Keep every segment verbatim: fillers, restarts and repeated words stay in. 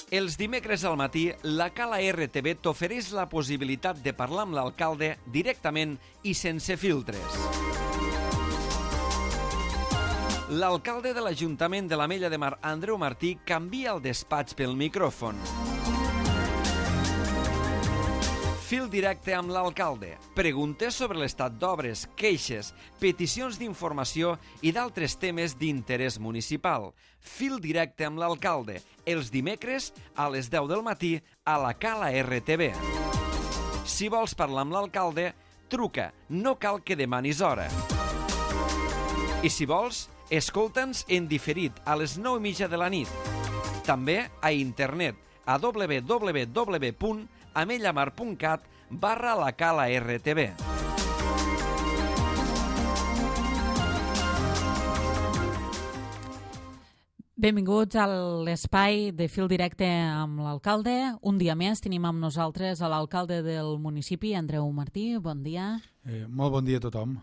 Els dimecres al matí, la Cala R T V t'ofereix la possibilitat de parlar amb l'alcalde directament i sense filtres. L'alcalde de l'Ajuntament de l'Ametlla de Mar, Andreu Martí, canvia el despatx pel micròfon. Fil directe amb l'alcalde. Preguntes sobre l'estat d'obres, queixes, peticions d'informació i d'altres temes d'interès municipal. Fil directe amb l'alcalde. Els dimecres a les deu del matí a la Cala R T V. Si vols parlar amb l'alcalde, truca. No cal que demanis hora. I si vols, escolta'ns en diferit a les nou i mitja de la nit. També a internet a w w w punt amellamar punt cat barra la Cala R T V. Benvinguts a l'espai de Fil Directe amb l'alcalde. Un dia més tenim amb nosaltres a l'alcalde del municipi, Andreu Martí. Bon dia. Eh, molt bon dia a tothom.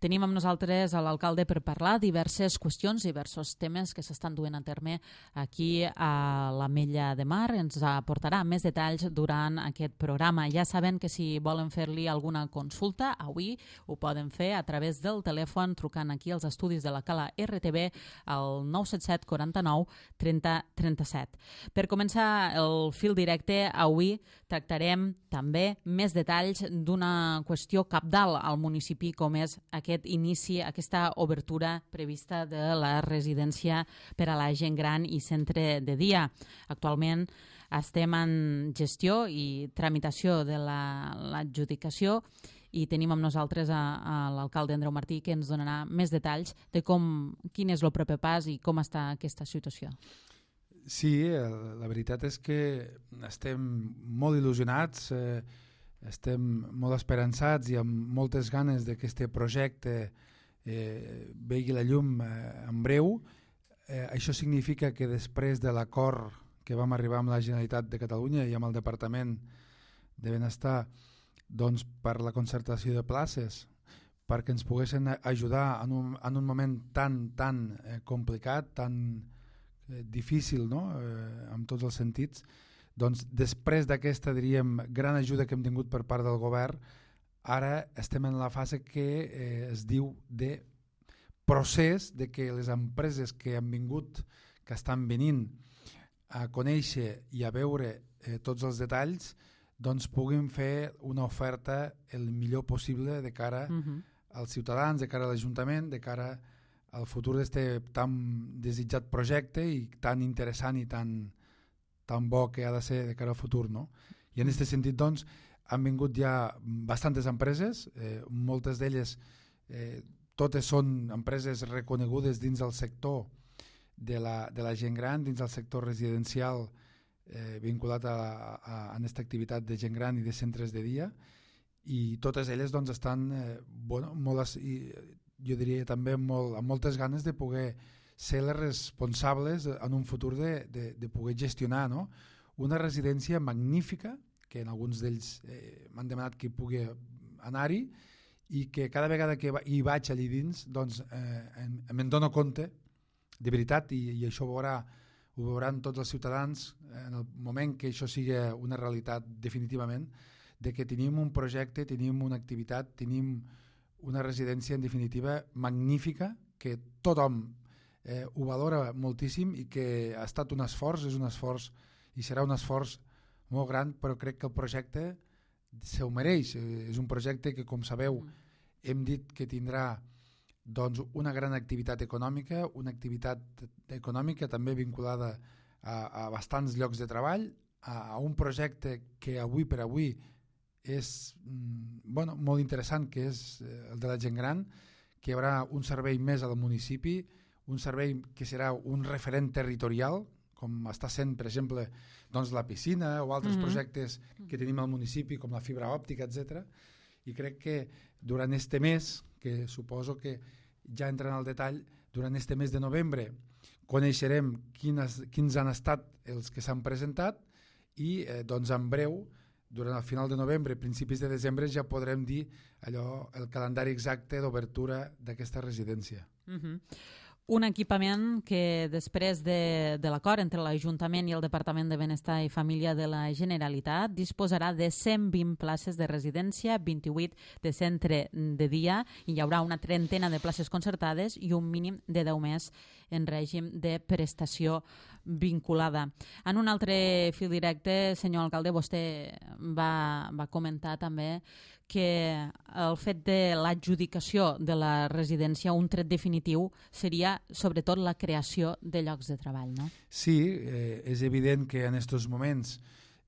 Tenim amb nosaltres a l'alcalde per parlar diverses qüestions, diversos temes que s'estan duent a terme aquí a l'Ametlla de Mar. Ens aportarà més detalls durant aquest programa. Ja saben que si volen fer-li alguna consulta, avui ho poden fer a través del telèfon trucant aquí als estudis de la Cala R T V al nou set set quaranta-nou trenta trenta-set. Per començar el fil directe, avui tractarem també més detalls d'una qüestió cabdal al municipi com és aquest aquest inici, aquesta obertura prevista de la residència per a la gent gran i centre de dia. Actualment estem en gestió i tramitació de l'adjudicació i tenim amb nosaltres a, a l'alcalde Andreu Martí que ens donarà més detalls de com, quin és el proper pas i com està aquesta situació. Sí, la veritat és que estem molt il·lusionats, eh, estem molt esperançats i amb moltes ganes que aquest projecte eh, vegi la llum eh, en breu. Eh, això significa que després de l'acord que vam arribar amb la Generalitat de Catalunya i amb el Departament de Benestar doncs, per la concertació de places, perquè ens poguessin ajudar en un, en un moment tan, tan eh, complicat, tan eh, difícil, no? eh, en tots els sentits, doncs després d'aquesta, diríem, gran ajuda que hem tingut per part del govern, ara estem en la fase que eh, es diu de procés de que les empreses que han vingut, que estan venint a conèixer i a veure eh, tots els detalls, doncs puguin fer una oferta el millor possible de cara uh-huh. als ciutadans, de cara a l'Ajuntament, de cara al futur d'aquest tan desitjat projecte i tan interessant i tan tan bo que ha de ser de cara al futur, no? I en aquest sentit, doncs, han vingut ja bastantes empreses, eh, moltes d'elles, eh, totes són empreses reconegudes dins del sector de la, de la gent gran, dins del sector residencial eh, vinculat a, a, a aquesta activitat de gent gran i de centres de dia, i totes elles doncs, estan, eh, bueno, molt, i, jo diria també molt, amb moltes ganes de poder ser les responsables en un futur de, de, de poder gestionar, no? Una residència magnífica, que en alguns d'ells eh, m'han demanat que hi pugui anar-hi i que cada vegada que hi vaig allà dins doncs, eh, me'n dono compte, de veritat, i, i això ho, veurà, ho veuran tots els ciutadans en el moment que això sigui una realitat definitivament, de que tenim un projecte, tenim una activitat, tenim una residència en definitiva magnífica, que tothom Eh, ho valora moltíssim i que ha estat un esforç, és un esforç i serà un esforç molt gran, però crec que el projecte se ho mereix. Eh, és un projecte que, com sabeu, hem dit que tindrà doncs, una gran activitat econòmica, una activitat econòmica també vinculada a, a bastants llocs de treball, a, a un projecte que avui per avui és mm, bueno, molt interessant, que és el de la gent gran, que hi haurà un servei més al municipi, un servei que serà un referent territorial, com està sent, per exemple, doncs, la piscina o altres mm-hmm. projectes que tenim al municipi, com la fibra òptica, etcètera. I crec que durant este mes, que suposo que ja entrant al detall, durant este mes de novembre coneixerem quines, quins han estat els que s'han presentat i eh, doncs en breu, durant el final de novembre, principis de desembre, ja podrem dir allò, el calendari exacte d'obertura d'aquesta residència. Mm-hmm. Un equipament que després de, de l'acord entre l'Ajuntament i el Departament de Benestar i Família de la Generalitat disposarà de cent vint places de residència, vint-i-vuit de centre de dia, i hi haurà una trentena de places concertades i un mínim de deu més en règim de prestació vinculada. En un altre fil directe, senyor alcalde, vostè va, va comentar també que el fet de l'adjudicació de la residència, un tret definitiu, seria sobretot la creació de llocs de treball, no? Sí, eh, és evident que en aquests moments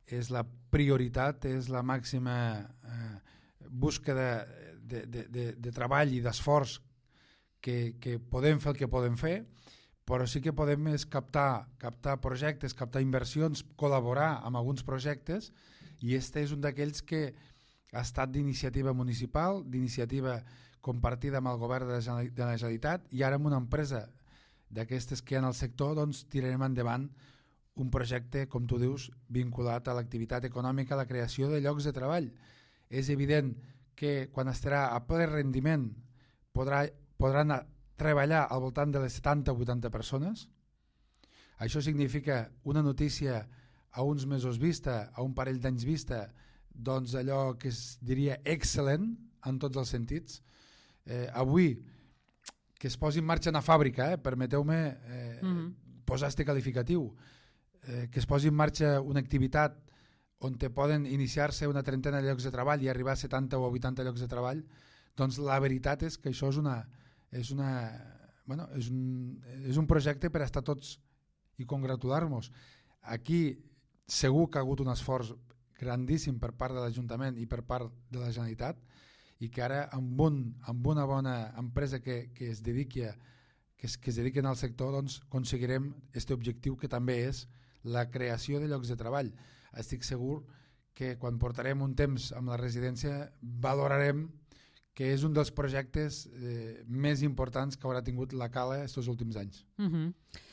és la prioritat, és la màxima eh, búsqueda de, de, de, de treball i d'esforç que, que podem fer el que podem fer, però sí que podem és captar, captar projectes, captar inversions, col·laborar amb alguns projectes, i este és un d'aquells que ha estat d'iniciativa municipal, d'iniciativa compartida amb el govern de la Generalitat, i ara amb una empresa d'aquestes que hi ha en el sector, doncs tirarem endavant un projecte, com tu dius, vinculat a l'activitat econòmica, a la creació de llocs de treball. És evident que quan estarà a ple rendiment podrà, podran treballar al voltant de les setanta o vuitanta persones. Això significa una notícia a uns mesos vista, a un parell d'anys vista, doncs allò que es diria excel·lent en tots els sentits. Eh, avui, que es posi en marxa una fàbrica, eh, permeteu-me eh, mm-hmm. posar este qualificatiu, eh, que es posi en marxa una activitat on te poden iniciar-se una trentena de llocs de treball i arribar a setanta o vuitanta llocs de treball, doncs la veritat és que això és una... És, una, bueno, és, un, és un projecte per estar tots i congratular-nos. Aquí segur que ha hagut un esforç grandíssim per part de l'Ajuntament i per part de la Generalitat, i que ara amb, un, amb una bona empresa que, que es dediqui a, que es, que es dediquen al sector, doncs aconseguirem aquest objectiu que també és la creació de llocs de treball. Estic segur que quan portarem un temps amb la residència valorarem que és un dels projectes eh, més importants que haurà tingut la Cala aquests últims anys. Mm-hmm.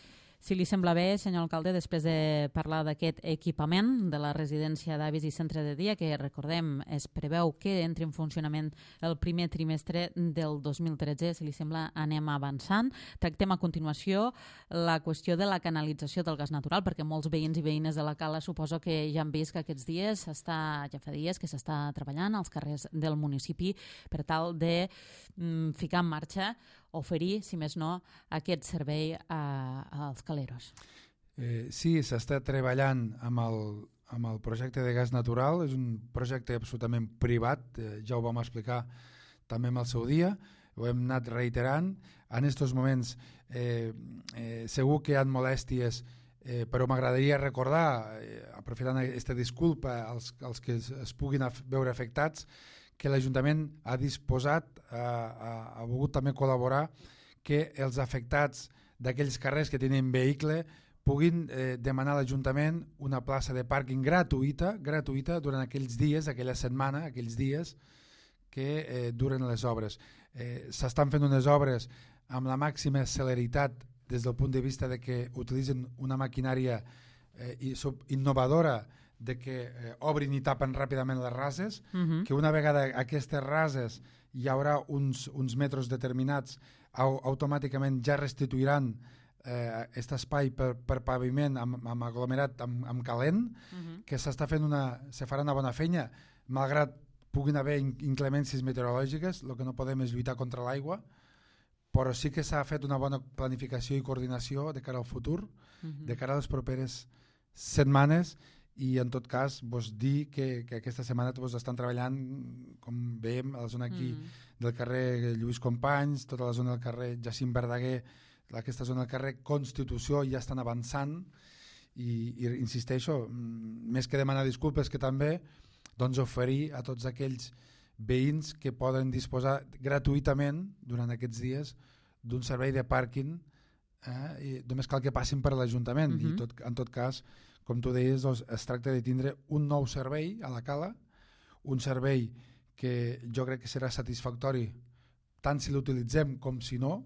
Si li sembla bé, senyor alcalde, després de parlar d'aquest equipament de la residència d'avis i centre de dia, que recordem es preveu que entri en funcionament el primer trimestre del dos mil tretze, si li sembla anem avançant. Tractem a continuació la qüestió de la canalització del gas natural, perquè molts veïns i veïnes de la Cala suposo que ja han vist que aquests dies s'està, ja fa dies que s'està treballant als carrers del municipi per tal de mm, ficar en marxa, oferir, si més no, aquest servei a, als caleros. Eh, sí, s'està treballant amb el, amb el projecte de gas natural. És un projecte absolutament privat, eh, ja ho vam explicar també en el seu dia, ho hem anat reiterant. En aquests moments eh, eh, segur que hi ha molèsties, eh, però m'agradaria recordar, eh, aprofitant aquesta disculpa als, als que es, es puguin af- veure afectats, que l'Ajuntament ha disposat, ha, ha, ha volgut també col·laborar, que els afectats d'aquells carrers que tenen vehicle puguin eh, demanar a l'Ajuntament una plaça de pàrquing gratuïta, gratuïta durant aquells dies, aquella setmana, aquells dies que eh, duren les obres. Eh, s'estan fent unes obres amb la màxima celeritat des del punt de vista de que utilitzen una maquinària eh, innovadora, de que eh, obrin i tapen ràpidament les rases, uh-huh. que una vegada aquestes rases hi haurà uns, uns metres determinats, au, automàticament ja restituiran aquest eh, espai per, per paviment amb, amb aglomerat, amb, amb calent, uh-huh. que s'està fent una, se farà una bona feina, malgrat puguin haver inclemències meteorològiques. El que no podem és lluitar contra l'aigua, però sí que s'ha fet una bona planificació i coordinació de cara al futur, uh-huh. de cara a les properes setmanes, i en tot cas vos dir que, que aquesta setmana vos estan treballant, com veiem, a la zona aquí mm. del carrer Lluís Companys, tota la zona del carrer Jacint Verdaguer, aquesta zona del carrer Constitució, ja estan avançant, i, i insisteixo, més que demanar disculpes, que també doncs, oferir a tots aquells veïns que poden disposar gratuïtament durant aquests dies d'un servei de pàrquing, eh, i només cal que passin per l'Ajuntament, mm-hmm. i tot, en tot cas, com tu deies, doncs, es tracta de tindre un nou servei a la Cala, un servei que jo crec que serà satisfactori tant si l'utilitzem com si no,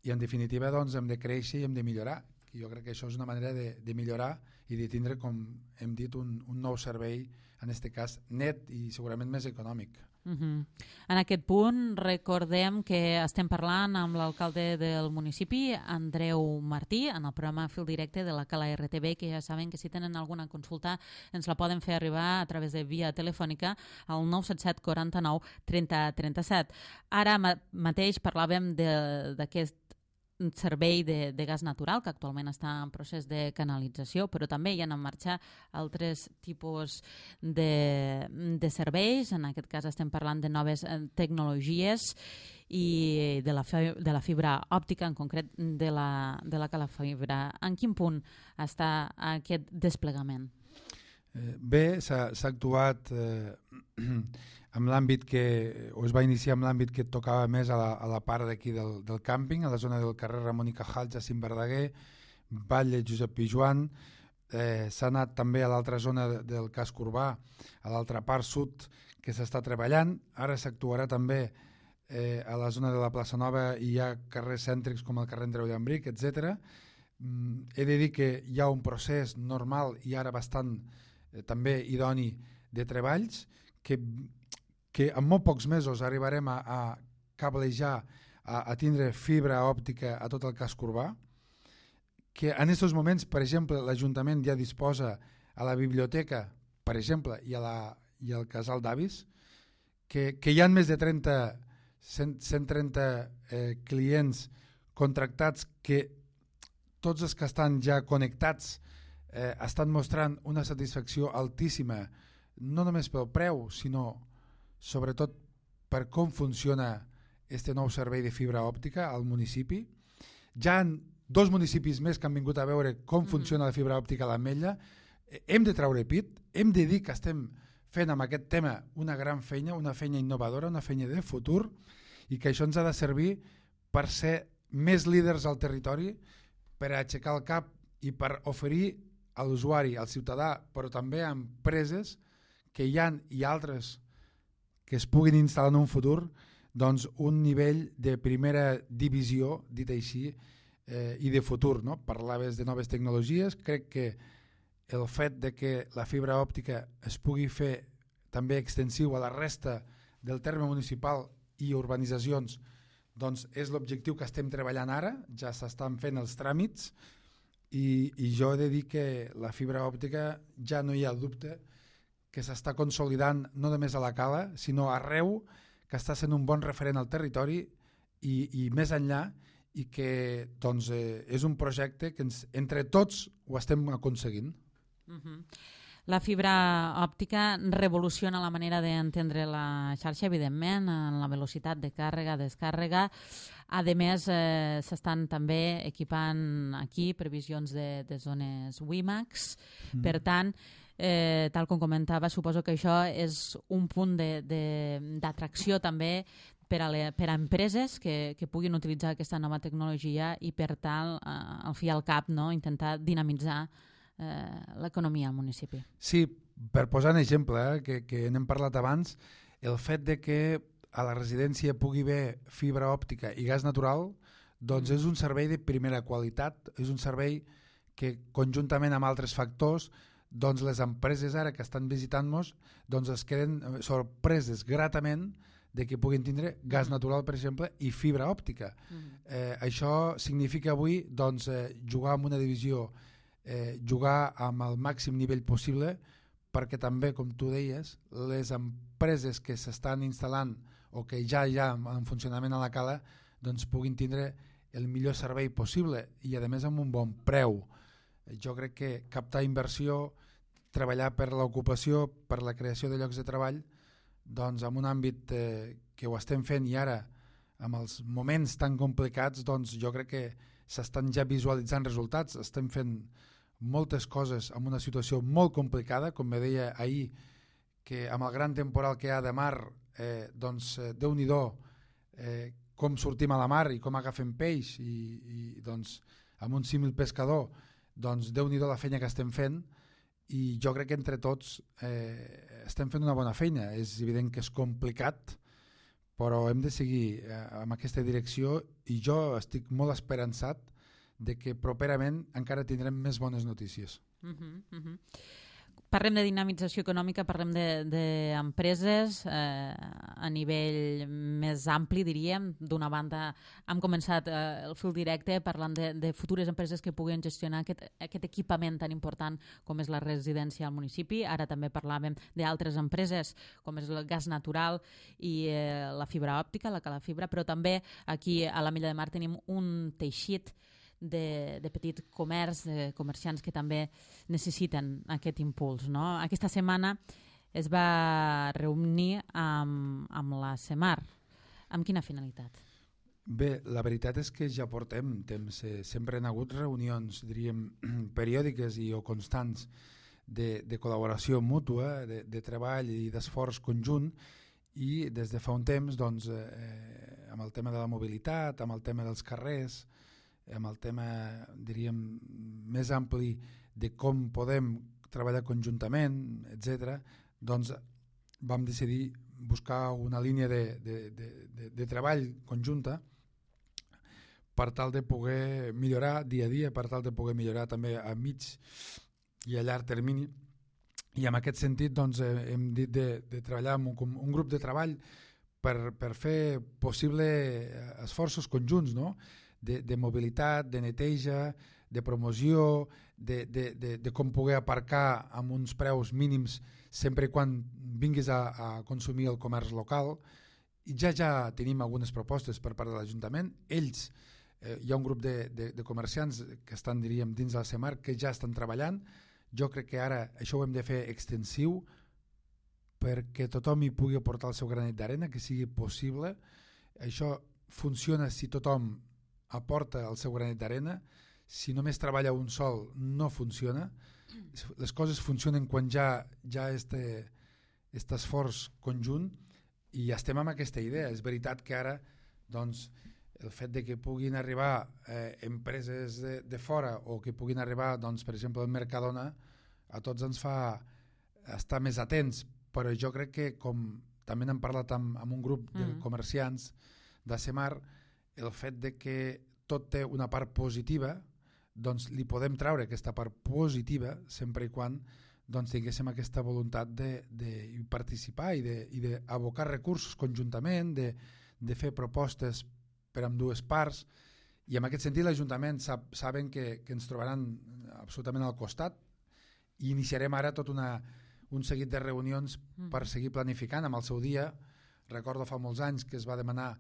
i en definitiva doncs, hem de créixer i hem de millorar. I jo crec que això és una manera de, de millorar i de tindre, com hem dit, un, un nou servei, en aquest cas net i segurament més econòmic. Uh-huh. En aquest punt recordem que estem parlant amb l'alcalde del municipi, Andreu Martí, en el programa Fil Directe de la Cala R T V, que ja saben que si tenen alguna consulta ens la poden fer arribar a través de via telefònica al nou set set quaranta-nou trenta trenta-set. Ara ma mateix parlàvem d'aquest servei de, de gas natural que actualment està en procés de canalització, però també hi ha en marxa altres tipus de, de serveis. En aquest cas estem parlant de noves tecnologies i de la, de la fibra òptica, en concret de la, de la calafibra. En quin punt està aquest desplegament? Eh, bé, s'ha actuat eh, amb l'àmbit que, o es va iniciar amb l'àmbit que tocava més a la, a la part d'aquí del, del càmping, a la zona del carrer Ramon i Cajal, Jacint Verdaguer, Batlle, Josep Pijuan. Eh, s'ha anat també a l'altra zona de, del casc urbà, a l'altra part sud que s'està treballant. Ara s'actuarà també eh, a la zona de la plaça Nova i hi ha carrers cèntrics com el carrer Andreu Llambric, etcètera. Mm, he de dir que hi ha un procés normal i ara bastant eh, també idoni de treballs que que en molt pocs mesos arribarem a, a cablejar, a, a tindre fibra òptica a tot el casc urbà, que en aquests moments, per exemple, l'Ajuntament ja disposa a la biblioteca, per exemple, i, a la, i al casal d'avis, que, que hi ha més de trenta, cent, cent trenta eh, clients contractats que tots els que estan ja connectats eh, estan mostrant una satisfacció altíssima, no només pel preu, sinó sobretot per com funciona este nou servei de fibra òptica al municipi. Ja hi ha dos municipis més que han vingut a veure com funciona la fibra òptica a l'Ametlla. Hem de treure pit, hem de dir que estem fent amb aquest tema una gran feina, una feina innovadora, una feina de futur, i que això ens ha de servir per ser més líders al territori, per aixecar el cap i per oferir a l'usuari, al ciutadà, però també a empreses que hi ha i altres que es puguin instal·lar en un futur, doncs un nivell de primera divisió, dit així, eh, i de futur. No? Parlaves de noves tecnologies, crec que el fet de que la fibra òptica es pugui fer també extensiu a la resta del terme municipal i urbanitzacions, doncs és l'objectiu que estem treballant ara, ja s'estan fent els tràmits, i, i jo he de dir que la fibra òptica ja no hi ha dubte que s'està consolidant no només a la Cala, sinó arreu, que està sent un bon referent al territori i, i més enllà, i que doncs, eh, és un projecte que ens, entre tots ho estem aconseguint. Uh-huh. La fibra òptica revoluciona la manera d'entendre la xarxa, evidentment, en la velocitat de càrrega, descàrrega. A més, eh, s'estan també equipant aquí previsions de, de zones WiMAX. Mm. Per tant, eh, tal com comentava, suposo que això és un punt d'atracció també per a, le, per a empreses que, que puguin utilitzar aquesta nova tecnologia i, per tant, eh, al fi al cap, no? Intentar dinamitzar eh, l'economia al municipi. Sí, per posar un exemple, eh, que, que n'hem parlat abans, el fet de que a la residència pugui haver fibra òptica i gas natural, doncs mm. és un servei de primera qualitat, és un servei que conjuntament amb altres factors, doncs les empreses ara que estan visitant-nos doncs es queden sorpreses gratament de que puguin tindre gas natural, per exemple, i fibra òptica. Mm. Eh, això significa avui doncs, eh, jugar amb una divisió, eh, jugar amb el màxim nivell possible, perquè també, com tu deies, les empreses que s'estan instal·lant o que ja hi ha en funcionament a la Cala, doncs puguin tindre el millor servei possible i, a més, amb un bon preu. Jo crec que captar inversió, treballar per l'ocupació, per la creació de llocs de treball, doncs en un àmbit eh, que ho estem fent i ara, amb els moments tan complicats, doncs jo crec que s'estan ja visualitzant resultats, estem fent moltes coses en una situació molt complicada, com me deia ahir, que amb el gran temporal que hi ha de mar, eh, doncs eh, Déu-n'hi-do eh, com sortim a la mar i com agafem peix i, i doncs amb un símil pescador, doncs Déu-n'hi-do la feina que estem fent, i jo crec que entre tots eh, estem fent una bona feina. És evident que és complicat, però hem de seguir eh, amb aquesta direcció i jo estic molt esperançat de que properament encara tindrem més bones notícies. Uh-huh, uh-huh. Parlem de dinamització econòmica, parlem d'empreses de, eh, a nivell més ampli, diríem. D'una banda, hem començat eh, el fil directe parlant de, de futures empreses que puguen gestionar aquest, aquest equipament tan important com és la residència al municipi. Ara també parlàvem d'altres empreses com és el gas natural i eh, la fibra òptica, la calafibra, però també aquí a l'Ametlla de Mar tenim un teixit De, de petit comerç, de comerciants que també necessiten aquest impuls, no? Aquesta setmana es va reunir amb, amb la CEMAR. Amb quina finalitat? Bé, la veritat és que ja portem temps. Eh, sempre han hagut reunions, diríem, periòdiques i o constants de, de col·laboració mútua, de, de treball i d'esforç conjunt, i des de fa un temps, doncs, eh, amb el tema de la mobilitat, amb el tema dels carrers, amb el tema, diríem, més ampli de com podem treballar conjuntament, etcètera, doncs vam decidir buscar una línia de, de, de, de, de treball conjunta per tal de poder millorar dia a dia, per tal de poder millorar també a mig i a llarg termini. I en aquest sentit doncs, hem dit de, de treballar amb un, un grup de treball per, per fer possible esforços conjunts, no? De, de mobilitat, de neteja, de promoció, de, de, de, de com poder aparcar amb uns preus mínims sempre i quan vinguis a, a consumir el comerç local. I ja ja tenim algunes propostes per part de l'Ajuntament. Ells, eh, hi ha un grup de, de, de comerciants que estan, diríem, dins de la CEMAR que ja estan treballant. Jo crec que ara això ho hem de fer extensiu perquè tothom hi pugui aportar el seu granet d'arena, que sigui possible. Això funciona si tothom aporta el seu granet d'arena. Si només treballa un sol no funciona. Les coses funcionen quan ja ja este, este esforç conjunt, i estem amb aquesta idea. És veritat que ara doncs, el fet de que puguin arribar eh, empreses de, de fora o que puguin arribar, doncs, per exemple, el Mercadona, a tots ens fa estar més atents, però jo crec que, com també n'hem parlat amb, amb un grup de mm. comerciants de CEMAR, el fet de que tot té una part positiva, doncs li podem treure aquesta part positiva sempre i quan doncs, tinguéssim aquesta voluntat de, de participar i d'abocar recursos conjuntament, de, de fer propostes per amb dues parts, i en aquest sentit l'Ajuntament sap, saben que, que ens trobaran absolutament al costat, i iniciarem ara tot una, un seguit de reunions mm. per seguir planificant. Amb el seu dia, recordo fa molts anys que es va demanar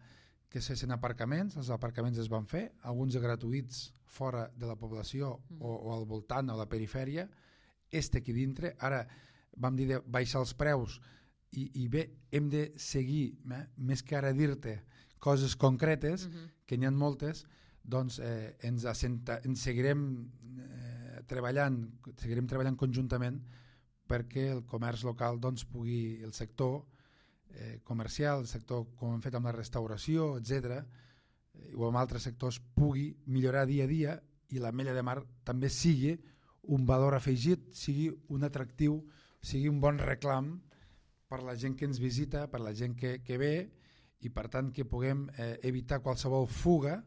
que es fessin aparcaments, els aparcaments es van fer, alguns gratuïts fora de la població mm. o, o al voltant o a la perifèria, este aquí dintre. Ara vam dir de baixar els preus i, i bé, hem de seguir, eh, més que ara dir-te coses concretes, mm-hmm. que n'hi ha moltes, doncs eh, ens, assenta, ens seguirem eh, treballant, seguirem treballant conjuntament perquè el comerç local doncs, pugui, el sector Eh, comercial, el sector com hem fet amb la restauració, etcètera, eh, o amb altres sectors, pugui millorar dia a dia, i l'Ametlla de Mar també sigui un valor afegit, sigui un atractiu, sigui un bon reclam per la gent que ens visita, per la gent que, que ve, i per tant que puguem eh, evitar qualsevol fuga,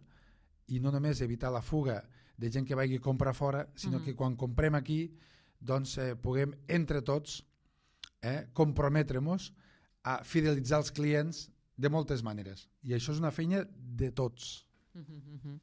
i no només evitar la fuga de gent que vagi a comprar fora, sinó mm-hmm. que quan comprem aquí doncs eh, puguem entre tots eh, comprometre-nos a fidelitzar els clients de moltes maneres. I això és una feina de tots. Mm-hmm.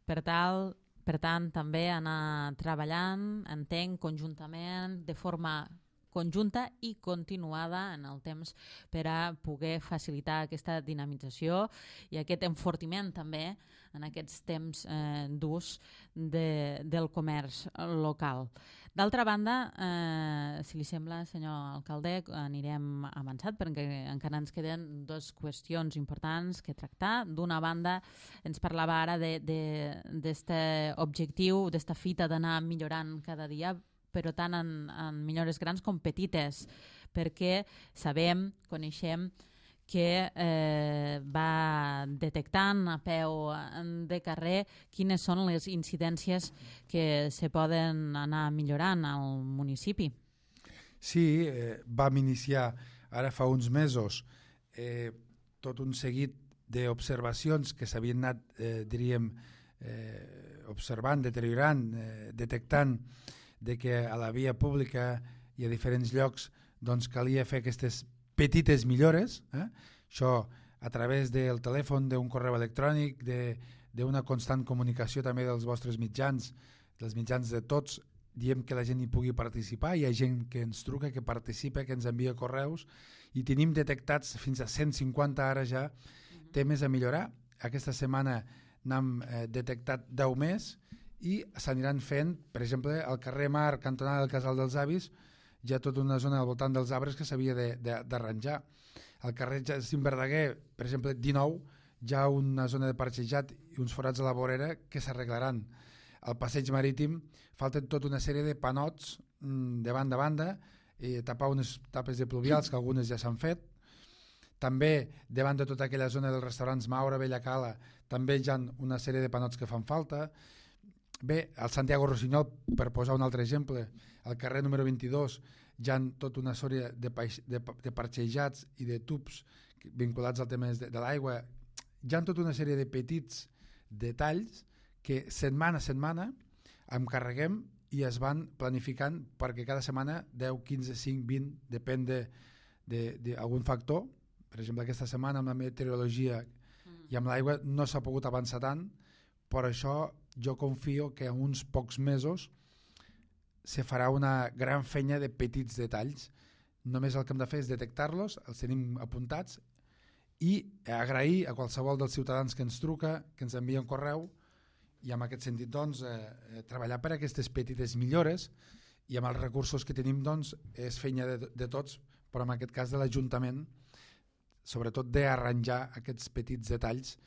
Per tal, per tant, també anar treballant, entenc, conjuntament, de forma conjunta i continuada en el temps per a poder facilitar aquesta dinamització i aquest enfortiment també en aquests temps eh, durs de, del comerç local. D'altra banda, eh, si li sembla, senyor alcalde, anirem avançat perquè encara ens queden dues qüestions importants que tractar. D'una banda, ens parlava ara d'aquest objectiu, d'aquesta fita d'anar millorant cada dia, però tant en, en millores grans com petites, perquè sabem, coneixem, que eh, va detectant a peu de carrer quines són les incidències que se poden anar millorant al municipi. Sí, eh, vam iniciar ara fa uns mesos eh, tot un seguit d'observacions que s'havien anat, eh, diríem, eh, observant, deteriorant, eh, detectant de que a la via pública i a diferents llocs doncs, calia fer aquestes petites millores, eh? Això a través del telèfon, d'un correu electrònic, d'una constant comunicació també dels vostres mitjans, dels mitjans de tots, diem que la gent hi pugui participar, hi ha gent que ens truca, que participa, que ens envia correus, i tenim detectats fins a cent cinquanta ara ja temes a millorar. Aquesta setmana n'hem eh, detectat deu més i s'aniran fent, per exemple, al carrer Mar, cantonada del Casal dels Avis, hi ha tota una zona al voltant dels arbres que s'havia d'arranjar. Al carrer Jacint Verdaguer, per exemple, dinou, hi ha una zona de parxejat i uns forats a la vorera que s'arreglaran. Al passeig marítim falten tota una sèrie de panots mm, de banda a banda, i tapar unes tapes de pluvials, que algunes ja s'han fet. També, davant de tota aquella zona dels restaurants Maura, Bella Cala, també hi ha una sèrie de panots que fan falta. Bé, al Santiago Rossinyol, per posar un altre exemple, al carrer número vint-i-dos hi ha tota una sèrie de, de, de parxejats i de tubs vinculats al tema de, de l'aigua. Hi ha tota una sèrie de petits detalls que setmana a setmana em carreguem i es van planificant perquè cada setmana deu, quinze, cinc, vint, depèn d'algun factor. Per exemple, aquesta setmana amb la meteorologia i amb l'aigua no s'ha pogut avançar tant, per això jo confio que en uns pocs mesos se farà una gran feina de petits detalls. Només el que hem de fer és detectar-los, els tenim apuntats, i agrair a qualsevol dels ciutadans que ens truca, que ens envia un correu, i en aquest sentit doncs, eh, treballar per aquestes petites millores, i amb els recursos que tenim doncs, és feina de, de tots, però en aquest cas de l'Ajuntament, sobretot d'arranjar aquests petits detalls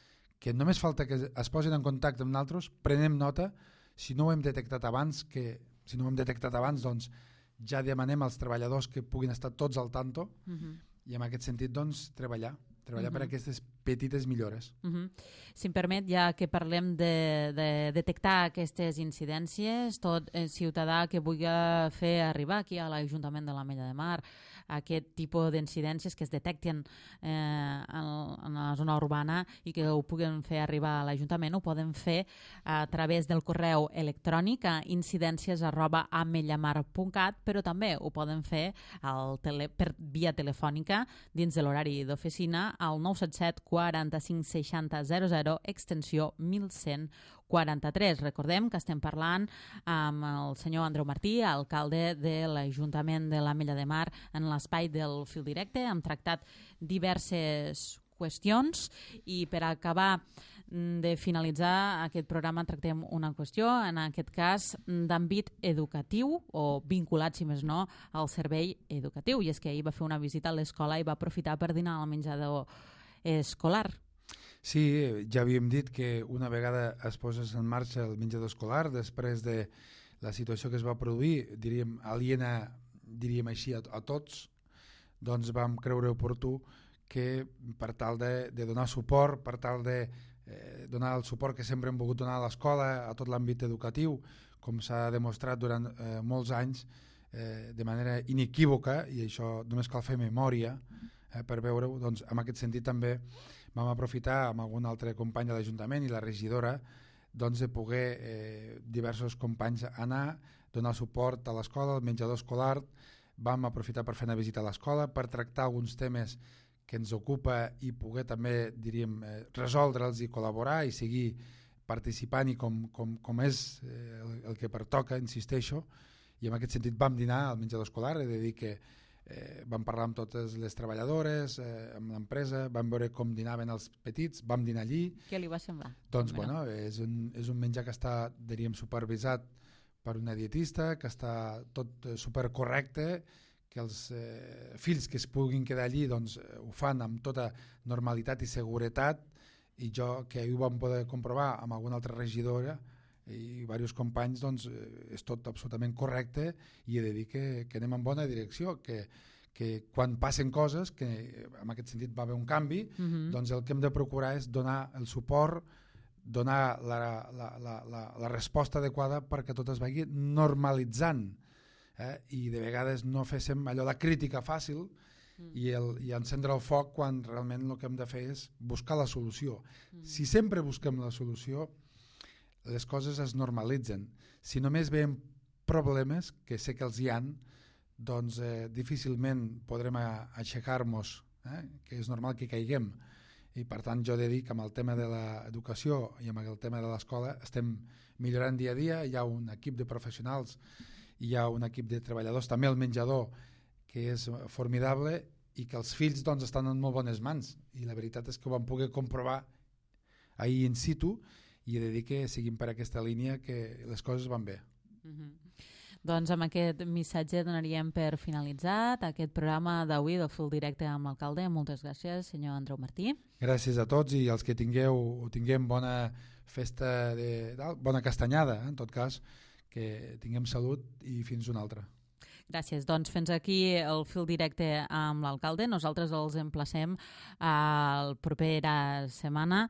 que només falta que es posin en contacte amb nosaltres, prenem nota, si no ho hem detectat abans, que si no ho hem detectat abans, doncs ja demanem als treballadors que puguin estar tots al tanto, uh-huh. i en aquest sentit doncs treballar, treballar uh-huh. per aquestes petites millores. Uh-huh. Si em permet, ja que parlem de, de detectar aquestes incidències, tot eh, ciutadà que vulgui fer arribar aquí a l'Ajuntament de l'Ametlla de Mar aquest tipus d'incidències que es detecten eh, en, en la zona urbana i que ho puguen fer arribar a l'Ajuntament, ho poden fer a través del correu electrònic a incidències arroba amellamar punt cat, però també ho poden fer al tele, per via telefònica dins de l'horari d'oficina al nou set set quaranta-cinc seixanta zero zero extensió mil cent quaranta-tres. Recordem que estem parlant amb el senyor Andreu Martí, alcalde de l'Ajuntament de l'Ametlla de Mar, en l'espai del Fil Directe. Hem tractat diverses qüestions i per acabar de finalitzar aquest programa tractem una qüestió, en aquest cas d'àmbit educatiu o vinculat, si més no, al servei educatiu. I és que ahir va fer una visita a l'escola i va aprofitar per dinar al menjador escolar. Sí, ja havíem dit que una vegada es posa en marxa el menjador escolar, després de la situació que es va produir, diríem, aliena, diríem així, a, a tots, doncs vam creure oportú que per tal de, de donar suport, per tal de eh, donar el suport que sempre hem volgut donar a l'escola, a tot l'àmbit educatiu, com s'ha demostrat durant eh, molts anys, eh, de manera inequívoca, i això només cal fer memòria eh, per veure-ho, doncs en aquest sentit també vam aprofitar amb algun altre company de l'Ajuntament i la regidora doncs, de poder eh, diversos companys anar, donar suport a l'escola, al menjador escolar. Vam aprofitar per fer una visita a l'escola, per tractar alguns temes que ens ocupa i poder també, diríem, eh, resoldre'ls i col·laborar i seguir participant i com, com, com és eh, el, el que pertoca, insisteixo, i en aquest sentit vam dinar al menjador escolar. He de dir que Eh, vam parlar amb totes les treballadores, eh, amb l'empresa, vam veure com dinaven els petits, vam dinar allí. Què li va semblar? Doncs bueno, és un, és un menjar que està, diríem, supervisat per una dietista, que està tot eh, supercorrecte, que els eh, fills que es puguin quedar allí doncs, eh, ho fan amb tota normalitat i seguretat, i jo que ho vam poder comprovar amb alguna altra regidora i diversos companys, doncs és tot absolutament correcte, i he de dir que, que anem en bona direcció, que, que quan passen coses, que en aquest sentit va haver un canvi, uh-huh. doncs el que hem de procurar és donar el suport, donar la, la, la, la, la resposta adequada perquè tot es vagi normalitzant, eh? I de vegades no féssim allò la crítica fàcil uh-huh. i, el, i encendre el foc quan realment el que hem de fer és buscar la solució. Uh-huh. Si sempre busquem la solució, les coses es normalitzen. Si només veiem problemes, que sé que els hi han, doncs eh, difícilment podrem aixecar-nos, eh? que és normal que caiguem. I per tant jo he de dir que amb el tema de l'educació i amb el tema de l'escola estem millorant dia a dia. Hi ha un equip de professionals, hi ha un equip de treballadors, també el menjador, que és formidable, i que els fills doncs, estan en molt bones mans, i la veritat és que ho vam poder comprovar ahir in situ, i he de dir que seguim per aquesta línia, que les coses van bé. Mm-hmm. Doncs amb aquest missatge donaríem per finalitzat aquest programa d'avui del Fil Directe amb l'alcalde. Moltes gràcies, senyor Andreu Martí. Gràcies a tots, i els que tingueu, tinguem bona festa, de, bona castanyada, eh? En tot cas, que tinguem salut i fins una altra. Gràcies. Doncs fins aquí el Fil Directe amb l'alcalde. Nosaltres els emplacem a la propera setmana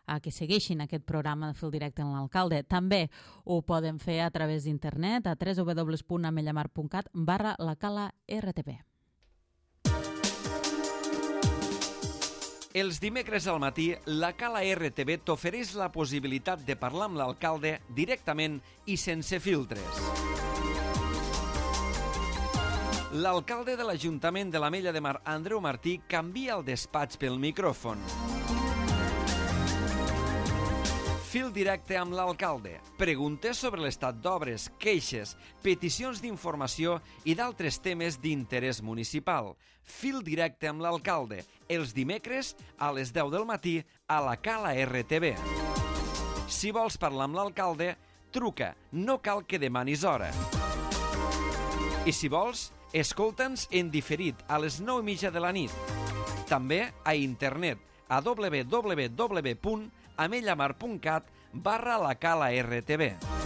a que segueixin aquest programa de Fil Directe amb l'alcalde. També ho poden fer a través d'internet a w w w punt amellamar punt cat barra la cala R T V. Els dimecres al matí, la Cala R T V t'ofereix la possibilitat de parlar amb l'alcalde directament i sense filtres. L'alcalde de l'Ajuntament de l'Ametlla de Mar, Andreu Martí, canvia el despatx pel micròfon. Fil Directe amb l'alcalde. Preguntes sobre l'estat d'obres, queixes, peticions d'informació i d'altres temes d'interès municipal. Fil Directe amb l'alcalde. Els dimecres a les deu del matí a la Cala R T V. Si vols parlar amb l'alcalde, truca. No cal que demanis hora. I si vols, escolta'ns en diferit a les nou i mitja de la nit. També a internet a w w w punt amellamar punt cat barra la cala R T V.